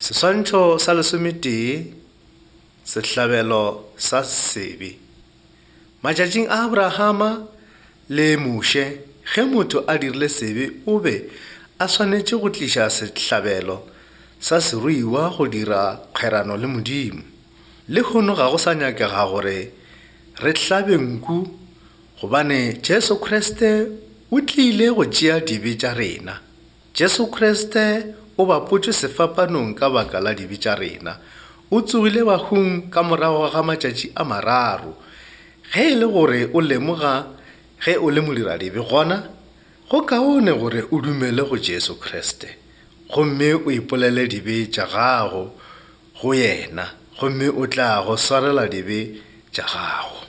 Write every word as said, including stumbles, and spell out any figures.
Seswantšho sa lesometee, Sehlabelo sa sebe. Matšatšing a Abrahama le Moshe, ge motho a dirile sebe o be a swanetše go tliša sehlabelo sa seruiwa go dira kgwerano le Modimo. Lehono ga go sa nyakega gore re hlabe nku gobane Jesu Kriste o tlile go tšea dibe tša rena. Jesu Kriste o bapotšwe sefapanong ka baka la dibe tša rena. O tsogile bahung ka morago ga matšatši a mararo. Ge e le gore o lemoga ge o le modiradibe, gona go kaone gore o dumele go Jesu Kriste gomme o ipolele dibe tša gago go yena, gomme o tla go swarela dibe tša gago.